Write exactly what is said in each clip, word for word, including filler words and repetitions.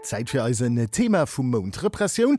Zäit fir eisen Thema vum Mount. Repressioun,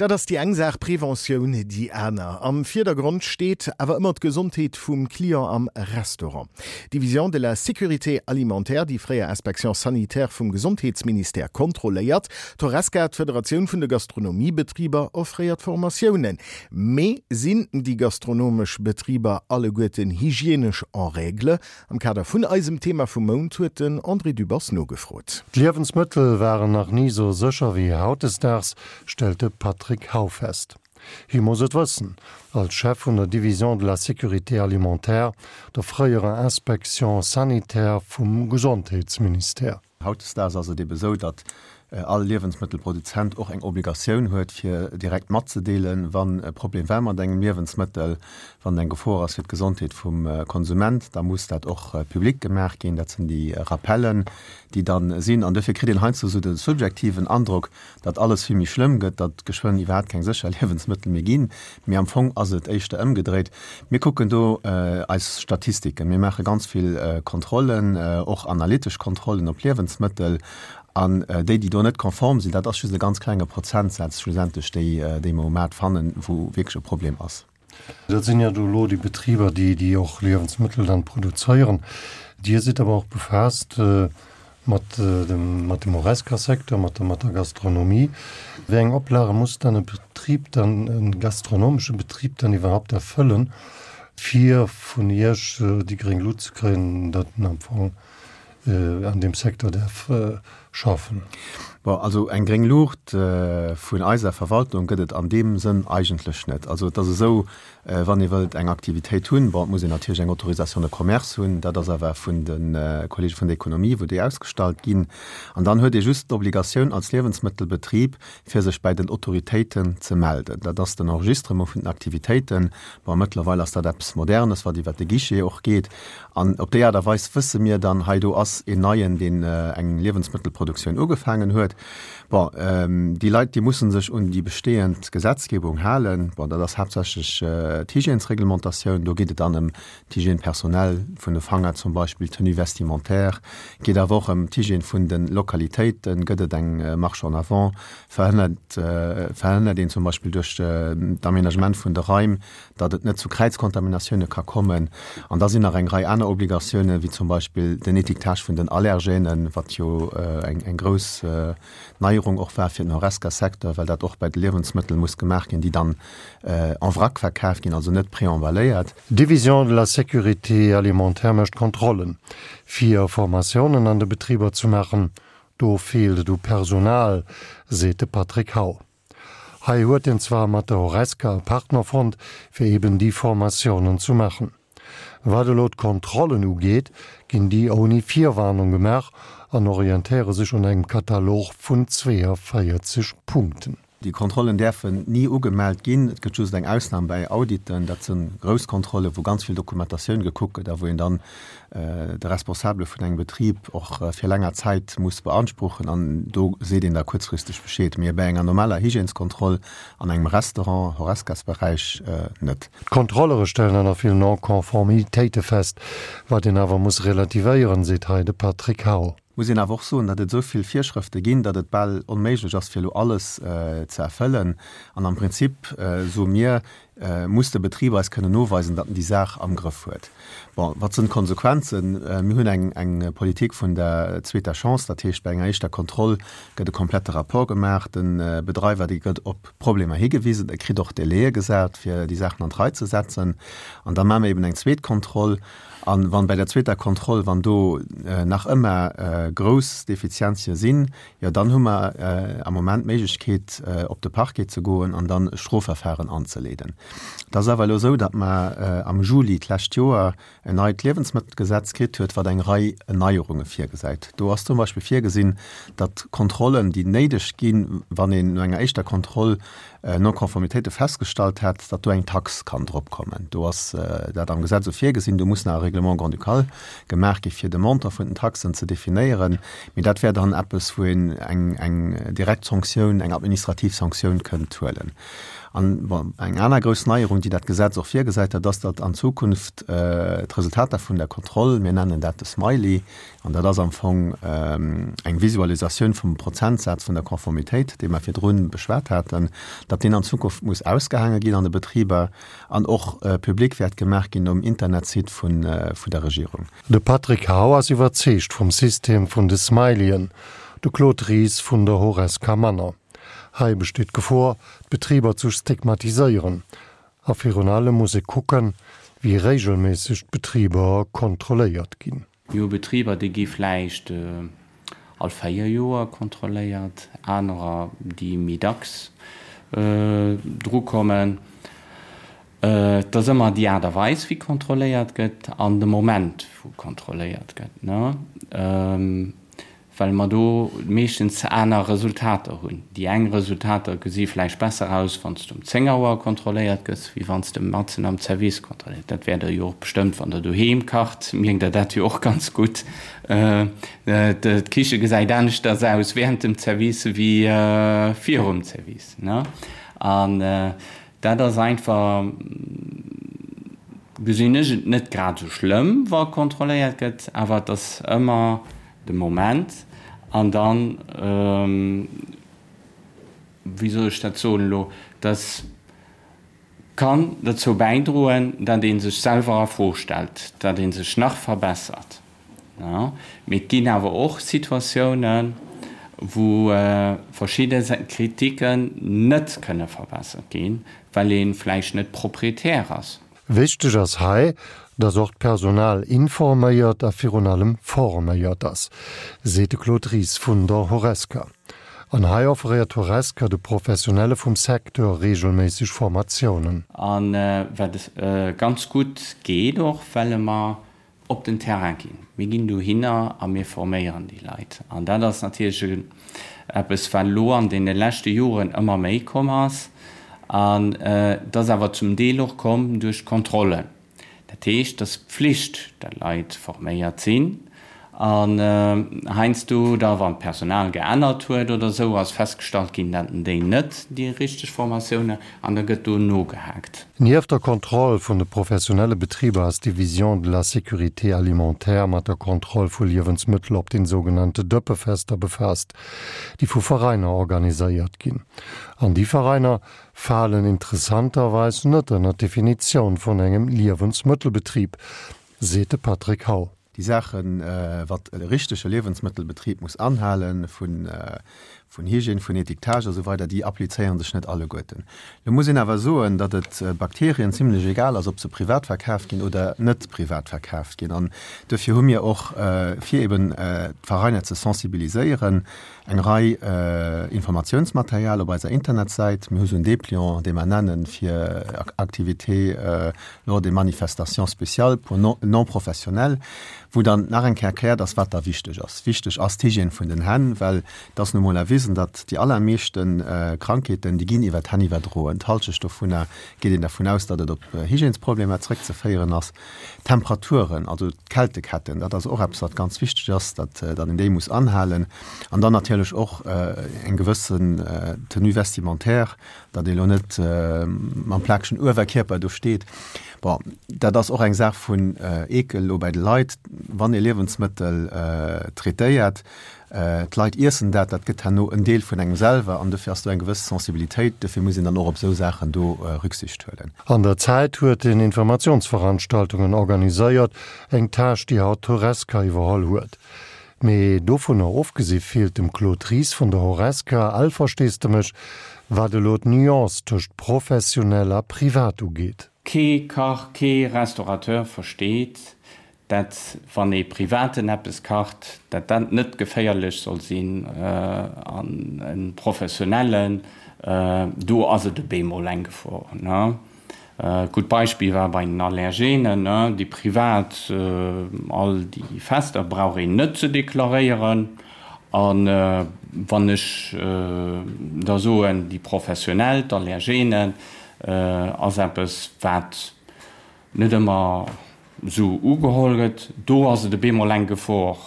dat ass déi eng Saach, Preventioun déi aner. Am Virdergrond steet awer ëmmer d'Gesondheet vum Client am Restaurant. D'Division de la sécurité alimentaire, déi fréier Inspection sanitaire vum Gesondheetsministère, kontrolléiert. D'Horesca, d'Federatioun vun de Gastronomiebetriber, offréiert Formatiounen. Mee sinn déi gastronomesch Betriber alleguerten hygienesch en règle? Am Kader vun eisem Thema vum Mount huet den André Dübbers nogefrot. D'Liewensmëttel waren nach ni sou sécher wéi hautdesdaags, stellt de Patrick Hau fest. Hie muss et wëssen, als Chef vun der Division de la sécurité alimentaire, der fréierer Inspection sanitaire vum Gesondheetsministère. Hautdesdaags ass et ebe sou, datt all Liewensmëttelproduzent och eng Obligatioun huet, fir direkt matzedeelen, wann e Problem war mat engem Liewensmëttel, wann eng Gefor ass fir d'Gesondheet vum Konsument, da muss dat och public gemaach ginn. Dat sinn déi Rappellen, déi dann sinn. An dofir kritt een heiansdo esou de subjektiven Androck, datt alles vill méi schlëmm gëtt, datt geschwënn iwwerhaapt keng sécher Liewensmëttel méi ginn. Mee am Fong ass et éischter ëmgedréit. Mir kucken do eis Statistiken. Mir maache ganz vill Kontrollen, och analytesch Kontrollen op Liewensmëttel. An déi, déi do net konform sinn, dat ass just e ganz klenge Prozentsaz schlussendlech, déi, déi mer um Maart fannen, wou wierklech e Problem ass. Dat sinn jo do elo déi Betriber, déi, déi och Liewensmëttel dann produzéieren. Dir sidd awer och befaasst mat dem, mat dem Horesca-Secteur, mat der, mat der Gastronomie. Wéi eng Oplage muss dann e Betrib dann, e gastronomesche Betrib dann iwwerhaupt erfëllen, fir vun Iech déi gréng Lut ze kréien, datt en am Fong an deem Secteur däerf schaffen? Bon, also eng gréng Luucht vun eiser Verwaltung gëtt et an deem Sënn eigentlech net. Also et ass esou, wann ee wëllt eng Aktivitéit hunn, bon, et muss een natierlech eng Autorisation de commerce hunn, dat ass awer vun de Kollege vun der Économie, wou déi ausgestallt ginn. An dann huet ee just d'Obligatioun als Liewensmëttelbetrib, fir sech bäi den Autoritéiten ze melden. Dat ass den Enregistrement vun den Aktivitéiten. Bon, mëttlerweil ass dat eppes Modernes, wat iwwert de Guichet och geet. An op déi Aart a Weis wësse mir dann, hei do ass een Neien, deen eng Liewensmëttelproduktioun ugefaangen huet. Bon, déi Leit, déi musse sech un déi bestehend Gesetzgebung halen. Bon, dat ass haaptsächlech d'Hygiènesreglementatioun. Do geet et dann ëm d'Hygiène personnelle vun de Fanger zum Beispill, d'Tenue vestimentaire. Geet awer och ëm d'Hygiène vun de Lokalitéiten. Gëtt et eng Marche en avant? Verhënnert, verhënnert een zum Beispill duerch d'Aménagement vun de Raim, datt et net zu Kräizkontaminatioune ka kommen? An da sinn nach eng Rei aner Obligatiounen, wéi zum Beispill den Étiquetage vun den Allergènen, wat jo eng, eng grouss Neierung och war fir den Horesca-Secteur, well dat och bei de Liewensmëttel muss gemaach ginn, déi dann en vrac verkaf ginn, also net préemballéiert. D'Division de la sécurité alimentaire mécht Kontrollen, fir Formatiounen an de Betriber ze maachen. Do feelt et u Personal, seet de Patrick Hau. Hei huet een zwar mat der Horesca e Partner fonnt, fir eben déi Formatiounen ze maachen. Wat elo d'Kontrollen ugeet, ginn déi ouni Virwarnung gemaach an orientéiere sech un engem Katalog vun zweeënvéierzeg Punkten. Déi Kontrollen däerfen ni ugemellt ginn. Et gëtt just eng Ausnam bäi Auditen, dat si grouss Kontrollen, wou ganz vill Dokumentatioun gekuckt gëtt a wou een dann de Responsabele vun engem Betrib och fir länger Zäit muss beanspruchen an do seet een da kuerzfristeg Bescheed. Mee bäi enger normaler Hygièneskontroll an engem Restaurant, Horescasberäich, net. D'Kontrollere stellen dann och vill Non-Conformitéite fest, wat een awer muss relativéieren, seet hei de Patrick Hau. Muss een awer och soen, datt et esou vill Virschrëfte ginn, datt et bal onméiglech ass, fir elo alles ze erfëllen. An am Prinzip, soe mir, muss de Betrib eis kënnen noweisen, datt en déi Saach am Grëff huet. Bon, wat sinn d'Konsequenzen? Mir hunn eng, eng Politik vun der zweeter Chance, dat heescht, bei enger éischter Kontroll gëtt e komplette Rapport gemaach, de Bedreiwer, dee gëtt op Problemer higewisen, e kritt och Délaië gesat, fir déi Saachen an d'Rei ze setzen. An da maache mir eben eng zweet Kontroll. An wann bei der zweeter Kontroll, wann do nach ëmmer grouss Defizienzie sinn, jo dann hu mer am Moment d'Méiglechkeet op de Parquet ze goen an dann e Strofverfahren anzeleeden. Et ass awer elo esou, datt mer am Juli d'lescht Joer en neit Liewensmëttelgesetz kritt huet, wat eng Rei Neierunge virgesäit. Do ass zum Beispill virgesinn, datt Kontrollen, déi néideg ginn, wann een no enger éischter Kontroll Non-Conformitéite festgestallt hätt, datt do eng Tax kann drop kommen. Do ass dat am Gesetz esou virgesinn. Do muss nach e Règlement grand-ducal gemaach gi fir de Montant vun den Taxen ze definéieren. Mee dat wär dann eppes, wou een eng, eng direkt Sanktioun, eng administrativ Sanktioun kënnt huelen. An bon, eng aner grouss Neierung, déi dat Gesetz och virgesäit, dat ass, datt an Zukunft d'Resultater vun der Kontroll, mir nennen dat de Smiley, an dat ass am Fong eng Visualisatioun vum Prozentsaz vun der Konformitéit, dee mer virdrun beschwat haten, datt deen an Zukunft muss ausgehaange ginn an de Betriber an och public wäert gemaach ginn um Internetsite vun der Regierung. De Patrick Hau ass iwwerzeegt vum System vun de Smileyen, de Claude Ries vun der Horesca manner. Hei besteet d'Gefor, d'Betriber ze stigmatiséieren. A virun allem muss ee kucken, wéi reegelméisseg d'Betriber kontrolléiert ginn. Mir hu Betriber, déi gi vläicht all véier Joer kontrolléiert, anerer, déi méi dacks drukommen. Et ass ëmmer déi Aart a Weis, wéi kontrolléiert gëtt an de Moment, wou kontrolléiert gëtt. Well mer do meeschtens aner Resultater hunn. Déi eng Resultater gesi vläicht besser aus, wann s de um zéng Auer kontrolléiert gëss, wéi wann s de matzen am Zerwiss kontrolléiert. Dat wäert Der jo och bestëmmt, wann Der doheem kacht, mierkt Der dat jo och ganz gutt. D'Kiche gesäit aneschters aus während dem Zerwiss wéi virum Zerwiss. An dat ass einfach, gesinn ech et net grad esou schlëmm, wa kontrolléiert gëtt, awer et ass ëmmer de Moment an dann, wéi soll ech dat soen elo, dass kann dozou bäidroen, datt ee sech selwer a Fro stellt, datt ee sech nach verbessert. Mee et ginn awer och Situatiounen, wou verschidde Kritiken net kënne verbessert ginn, well ee vläicht net Proprietär ass. Wichteg ass hei, dass och d'Personal informéiert a virun allem forméiert ass, seet de Claude Ries vun der Horesca. An hei offréiert d'Horesca de Professionelle vum Secteur reegelméisseg Formatiounen. A wat ganz gutt geet och, well mer op den Terrain ginn. Mir ginn dohinner a mir forméieren déi Leit. An dat ass natierlech eppes, wat elo an deene leschte Joren ëmmer méi komm ass. An et ass awer zum Deel och komm duerch d'Kontrollen. Dat heescht, et ass Pflicht, datt Leit forméiert sinn. An heiansdo da, wann d'Personal geännert huet oder esou, ass festgestallt ginn, datt déi net déi richteg Formatioun an da gëtt do nogehaakt. Nieft der Kontroll vun de professionelle Betriber ass d'Division de la sécurité alimentaire mat der Kontroll vu Liewensmëttel op den sougenannte Dëppefester befaasst, déi vu Veräiner organiséiert ginn. An déi Veräiner falen interessanterweis net ënner d'Definitioun vun engem Liewensmëttelbetrib, seet de Patrick Hau. Déi Saachen, wat e richtege Liewensmëttelbetrib muss anhalen, vun Hygiène, vun Étiquetage a sou weider, déi applizéiere sech net alleguerten. Lo muss een awer soen, datt et Bakterien zimlech egal ass, ob se privat verkaaft ginn oder net privat verkaaft ginn. An duerfir hu mir och, fir eben d'Veräiner ze sensibiliséieren, eng Rei Informatiounsmaterial op eiser Internetsäit. Mir hu sou en Dépliant, dee mer nennen, fir Activités lors des manifestations spéciales pour non-professionnels, wou dann nach eng Kéier erkläert ass, wat da wichteg ass. Wichteg ass d'Hygiène vun den Hänn, well et ass nu mol erwisen, datt déi allermeeschte Krankheeten, déi ginn iwwer d'Hänn iwwerdroen. D'Halschecht dovunner geet een dervun aus, datt et op Hygiènesproblemer zréckzeféieren ass. D'Temperaturen, also d'Kälteketten, dat ass och eppes, wat ganz wichteg ass, datt een déi muss anhalen. An dann natierlech och eng gewëssen Tenue vestimentaire, datt ee lo net mam plakegen Uewerkierper do steet. Bon, dat ass och eng Saach vun Eekel elo bei de Leit, wann ee Liewensmëttel traitéiert. D'Leit iessen dat, dat gëtt herno en Deel vun engem selwer an dofir ass do eng gewëss Sensibilitéit. Dofir muss een dann och op esou Saachen do Rücksicht huelen. An der Zäit huet en Informatiounsveranstaltungen organiséiert, eng Tâche, déi haut d'Horesca iwwerholl huet. Mee dovunner ofgesi feelt dem Claude Ries vun der Horesca all Versteesdemech, wat elo d'Nuance tëscht professionell a privat ugeet. Kee Kach, kee Restaurateur versteet, dat wann ee Privaten eppes kacht, dat dat net geféierlech soll sinn an e Professionellen, do ass et op eemol eng Gefor. Gutt Beispill war bei den Allergenen, déi privat, all déi Fester brauch een net ze deklaréieren. A wann ech da soen, déi professionell, d'Allergenen, ass eppes, wat net ëmmer esou ugeholl gëtt, do ass et op eemol eng Gefor.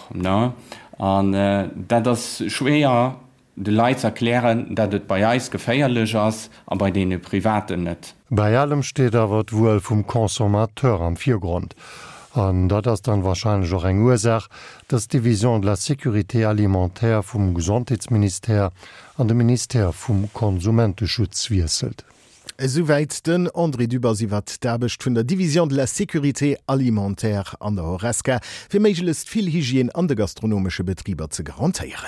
An dat ass schwéier de Leit z'erklären, dat et bei eis geféierlech ass a bei deene Privaten net. Bei allem steet awer d'Wuel vum Consommateur am Virgrond. An dat ass dann wahrscheinlech och eng Ursaach, dass d'Division de la sécurité alimentaire vum Gesondheetsministère an de Ministère vum Konsumenteschutz wiesselt. Esouwäit den André Dübbers iwwer d'Aarbecht vun der Division de la sécurité alimentaire an der Horesca, fir méiglechst vill Hygiène an de gastronomesche Betriber ze garantéieren.